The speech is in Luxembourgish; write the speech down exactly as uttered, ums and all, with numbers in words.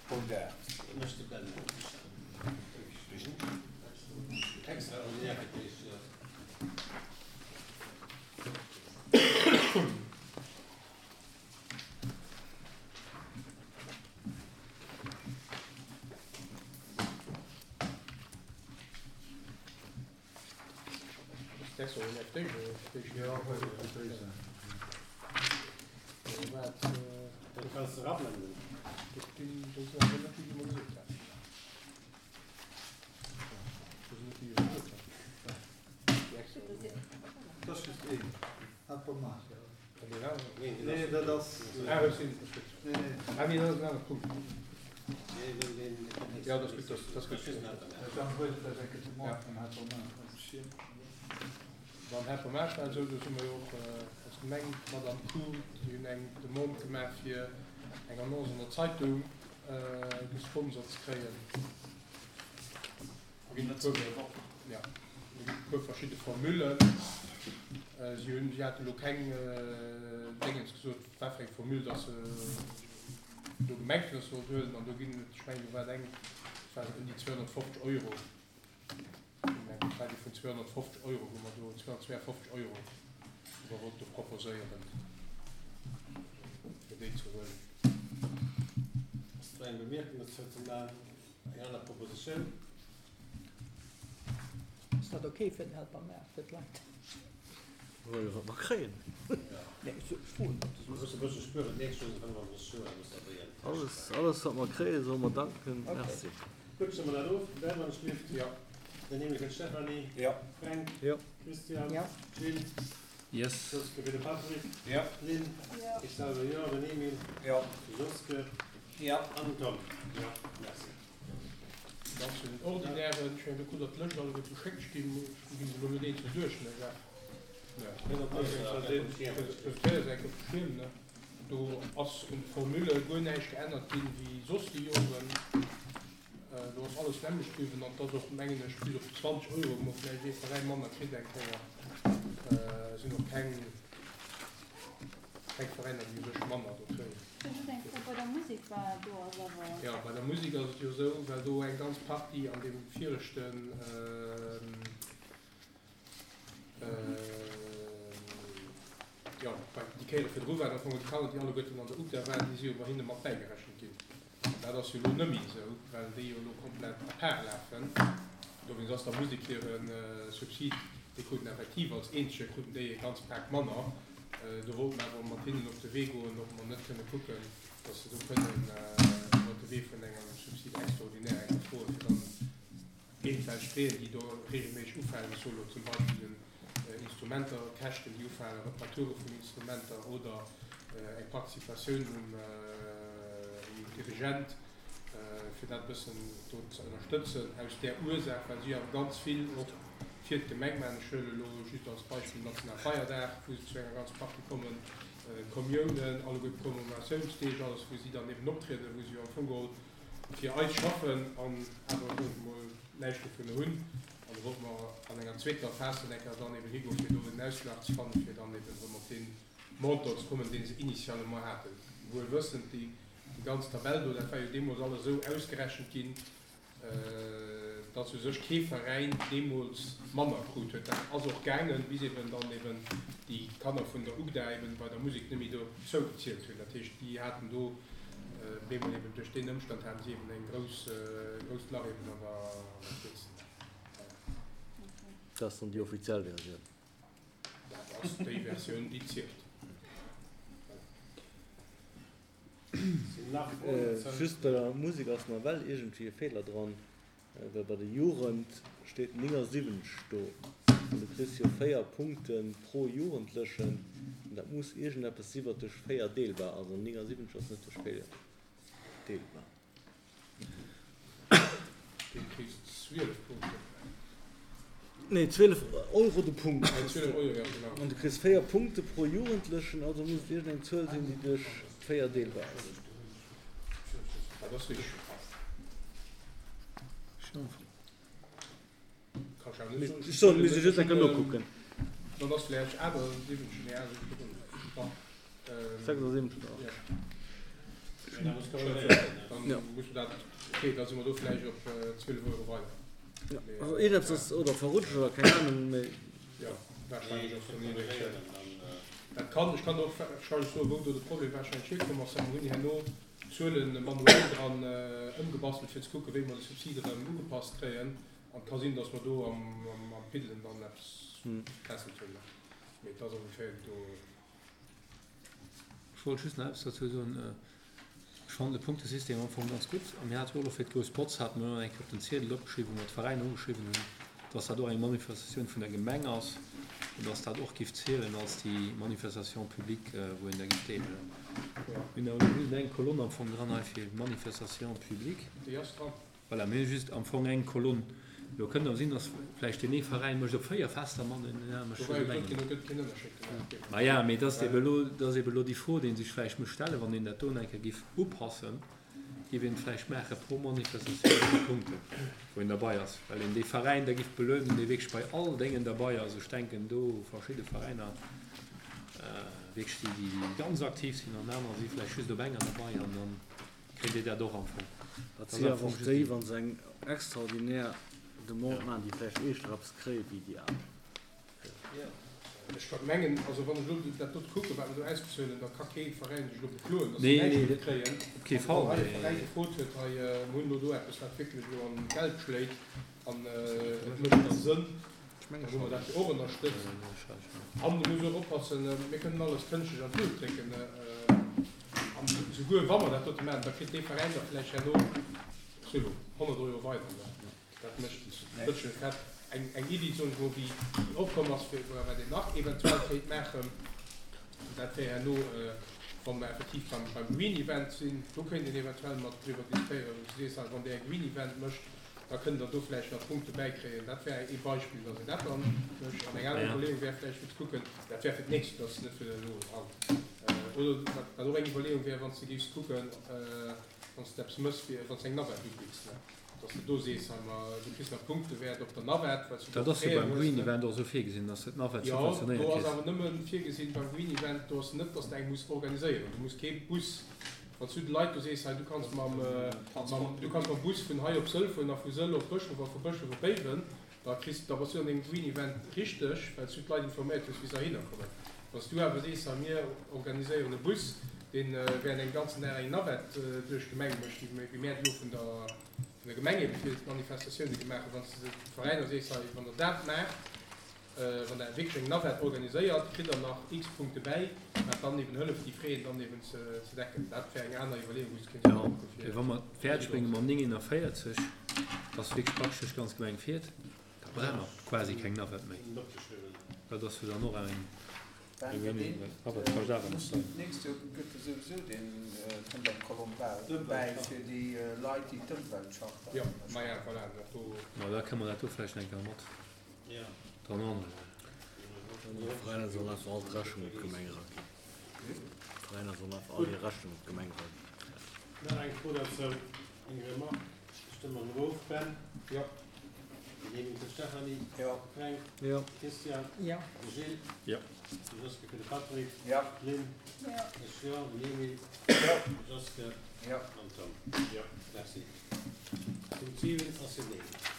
Punkt aacht. Dat ass just een. Helpermaat. Nee, dat ass. Nee, nee. Ah, nee, dat ass en anere Punkt. Ja, dat ass gutt, dat ass gutt. Dan huet dat eng Kéier de Mond vum Helpermaat. Beim Helpermaat war et esou, do si mer jo och als Gemeng mat am Coup, déi hunn eng Demande gemaach fir eng Annonce an der Zeitung gesponsert ze kréien. Do ginn et e puer, ja, do ginn et e puer verschidde Formullen. Si hunn, si hate lo keng Déngens gesot, wat fir eng Formule dass se do gemengt hunn, dass se sollt huelen. An do ginn et, ech mengen, do war et eng, dat waren ëm déi zweehonnertfofzeg Euro, dat war déi vun zweehonnertfofzeg Euro, wou mer do zweehonnertzweeafofzeg Euro, wou mer wollte proposéieren, fir déi ze huelen. Ass do eng Bemierkung dozou ze maachen? Eng aner Propositioun? Ass dat ok fir den Helpermaart, fir d'Leit? Well wat mer kréien. Nee, ech froen net. Muss e bësse spueren, d'nächst Joer sinn fënnefundrësseg Joer, da muss dat wéi eng Täsch Alles, alles wat mer kréien, solle mer danken. Ok. Merci. Gutt, stëmme mer dat of. Ben, wann ech gelift. Jo. Den Emil fir d'Stéphanie. Jo. Fränk. Jo. Christian. Jo. Gilles. Yes. Joske fir de Patrick. Jo. Lynn. Jo. Ech selwer jo. Den Emil. Jo. De Joske. Jo. An den Tom. Jo. Merci. Dann zu den Ordinären. Ech mengen, do krut Der d'Lëscht alleguer geschéckt. Ech ginn se elo net eenzel duerch, ne Jacques? Do ass un de Formule guer näischt geännert ginn, wéi soss déi Joren. Do ass alles d'nämmlecht bliwwen an et ass och, mengen ech, bis op zwanzeg Euro, wou mer vläicht ee Veräin manner kritt eng Kéier, sinn och keng, keng Veräiner, déi u sech manner do kréien. Ech hunn just eng Fro, bei der Musek war do ass awer. Jo, bei der Musek ass et jo esou, well do eng ganz Partie an deem viregten, Jo, déi Kéiere virdru waren am Fong déi Kanner, déi alleguerten an der UGDA waren, déi si jo bei hinne mat bäigerechent ginn. An dat ass jo elo net méi esou, well déi jo elo komplett à part lafen. Dowéinst ass der Musek hire Subsid, dee kruten effektiv als eenzege kruten déi e ganz Pak manner. Do wollte mer awer mat hinnen op de Wee goen, ob mer net kënne kucken, datt se do kënnen iwwert de Wee vun engem Subside extraordinaire eng froen, fir dann eventuell Fräen, déi do regelméisseg ufalen, ech soe lo zum Beispill den Instrumenter, Käschten, déi ufalen, Reparature vun Instrumenter oder eng Participatioun um Dirigent, fir dat e bëssen do ze ënnerstëtzen, aus där Ursaach, well si awer ganz vill och fir d'Gemeng maachen. Ech huele lo just als Beispill Nationalfeierdag, wou se zu enger ganz Partie kommen, d'Kommiounen, alleguer d'Commemoratiounsdeeg, alles, wou si dann eben optrieden, wou si jo am Fong geholl fir eis schaffen an awer, soe mer mol, näischt dovun hunn. An do wollte mer an enger zweeter Phas dann eng Kéier dann eben higoen, fir do en Ausschlag ze fannen, fir dann eben erëm op dee Montant ze kommen, dee se initialement haten. Wuel wëssend, déi ganz Tabell do, dat war jo deemools alles esou ausgerechent ginn, datt u sech kee Veräin deemools manner krut huet. Dat ass och gaangen, bis eben dann eben déi Kanner vun der UGDA eben bei der Musek net méi dozou gezielt hunn. Dat heescht, déi haten do bemol eben duerch deen Ëmstand haten si eben eng grouss, grousst Lach eben an der Keess. Dat ass dann déi offiziell Versioun. Dat ass déi Versioun, déi zielt. Just bei der Musek ass nawell iergendwéi e Feeler dran, well bei der Jugend steet néngasiwwenzeg do an du kriss jo véier Punkte pro Jugendlechen an dat muss iergendeppes si wat duerch véier deelbar ass an néngasiwwenzeg ass net duerch véier deelbar. Dee kriss zwielef Punkten. Nee, zwielef Euro de Punkt kriss du. Zwielef Euro, ja genau. An du kriss véier Punkte pro Jugendlechen, also muss et iergendeng Zuel sinn, déi duerch véier deelbar ass. Dat ass richteg. Ech soen, mir si just eng Kéier nokucken. Dann ass vläicht aachtsiwwenzeg, nee, achtundsiwwenzeg, sechsundsiwwenzeg oder acht. Dann muss dat, okay, da si mer do vläicht op zwielef Euro weider. Ja, also iergendepps ass oder verrutscht oder keng Ahnung, mee. Jo, warscheinlech ass do iergendeng. Dat kann, ech kann och warscheinlech soen, wou do de Problem warscheinlech hierkomm ass. Mer hunn herno d'Zuele manuell dran ëmgebastelt, fir ze kucken, wéi mer de Subsid erëm ugepasst kréien. An et ka sinn, datt mer do am Piddelen dann eppes verkesselt hunn. Mee et ass ongeféier do. Ech wollt just nach eppes dozou soen. Ech fannen de Punktesystem am Fong ganz gutt. A mir hate jo och elo fir d'Grouss Botz hate mir och eng Kéier op den Ziedel opgeschriwwen, wou mer d'Veräiner ugeschriwwen hunn, dass dat och eng Manifestatioun vun der Gemeng ass an dass dat och giff zielen als déi Manifestation publique, wou een da giff deelhuelen. Mir hunn awer elo just eng Kolonn am Fong dran hei fir Manifestation publique. Déi ass dran. Voilà, mir hu just am Fong eng Kolonn. Elo kënnt awer sinn, dass vläicht deen ee Veräin mécht op véier Fester mat an deen anere mécht Do war just jo op gesot engem. ginn, do gëtt keen Ënnerscheed gemaach ginn. Maja, mee et ass ebe elo, et ass ebe elo déi Fro, déi ee sech vläicht muss stellen, wann een dat do nach eng Kéier giff upassen, giff een et vläicht maache pro Manifestatioun esou vill Punkten, wou een derbei ass, well een dee Veräin da giff belönen, dee wierklech bei all Déngen derbei ass. Ech denken do verschidde Veräiner wierklech, déi, déi ganz aktiv sinn an aner si vläicht just op enger derbei an dann kritt Dir dat och am Fong. Dat Dat si ass am awer Fong och just déi, déi. wa se eng extraordinär Demande maachen, déi vläicht éischter eppes kréie wéi déi aner. Ech ka mengen, also wann ech elo dat dot kucken, wat mer do ausbezuelen, da ka kee Veräin sech elo bekloen, datt se Nee, näischt nee, méi kréien. op kee An Fall, wann hei e mee. Veräin gefrot huet, hei, mer hunn elo do eppes, wat wierklech elo an d'Geld schléit an et mécht da Sënn, dann hu mer dat jo och ënnerstëtzt. An do muss ee och oppassen, mir kënnen alles kënschtlech an d'Luucht drécken, an souguer wa mer dat dote maachen, da kritt dee Veräin da vläicht herno, ech soe lo, honnert Euro weider. Dat mécht e bëssche fett. Eng, eng Iddi, soen ech mol, déi opkomm ass, fir wat een nach eventuell kéint maachen, dat wär herno, wa mer effektiv beim, beim Green Event sinn, do kéint een eventuell mat driwwer diskutéieren, wou s du sees, wann Der e Green Event mécht, da kënnt Der do vläicht nach Punkte bäikréien. Dat wär ee Beispill, datt een dat dann mécht. An eng aner Iwwerleeung wär vläicht, fir ze kucken, dat wär fir d'nächst, dat ass net fir elo haut, oder wat, wat och eng Iwwerleeung wär, wann s de géifs kucken, wann s de eppes méchs, fir, wann s de eng Navette ubidds, ne, dass de do sees, hei, ma du kriss nach Punkte wäert op der Navette, well s du Dat do ass jo Fräen beim hues, Green ne. Event och esou virgesinn, dass de d'Navette Jo, subventionéiert do ass kriss. awer nëmme virgesinn beim Green Event, do ass net, dass de eng muss organiséieren. Du muss kee Bus, wann s du de Leit do sees, hei, du kanns mam, mam, du kanns mam Bus vun hei op Sëll fueren a vu Sëll op Bëschhof a vu Bëschhof op Béiwen, da kriss, da bass du an dengem Green Event richteg, well s du d'Leit informéiert hues, wéi se heihinner kommen. Wann s du awer sees, hei, mir organiséieren e Bus, deen während engem ganzen Dag eng Navette duerch d'Gemeng mécht, wéi mär et elo vun der, vun der Gemeng ebe fir d'Manifestatioune gemaach hunn, wann s de de Veräiner sees, hei, wann der dat maacht, wann der wierklech eng Navette organiséiert, kritt der nach x Punkte bäi, wat dann eben hëlleft, déi Fräen dann eben ze decken. Dat wär eng aner Iwwerleeung, wou s de kéints Jo, kucke fir. mee wa mer et fäerdeg brénge mam néngeennervéierzeg, dass wierklech praktesch duerch d'ganz Gemeng fiert, da brauche mer quasi keng Navette méi. Dat ass jo dann och eng. Ben, Wéi deen, Navette kascht awer nach mussen, d'nächst Joer gëtt e souwisou deen, kënnt eng Kolonn bäi fir déi Leit, déi d'Ëmweltcharta Jo, ënnerschreiwen. maja, voilà, dat do. Ma da kënne mer dat do vläicht eng Kéier mat dran anreien. D'Veräiner sollen einfach all d'Rechnung op d'Gemeng eraginn. D'Veräiner sollen einfach all hir Rechnung op d'Gemeng eraginn. Nach eng Fro dozou, eng Remarque. Stëmme mer of, Ben? Jo. Genehmigt de Stefanie? Jo. Fränk? Jo. Christian? Jo. De Gilles? Jo. De Joske fir de Patrick? Jo. D'Lynn? Jo. Ech jo. Den Emile? Jo. De Joske? Jo. An Tom? Jo. Merci. Punkt siwen ass genehmigt.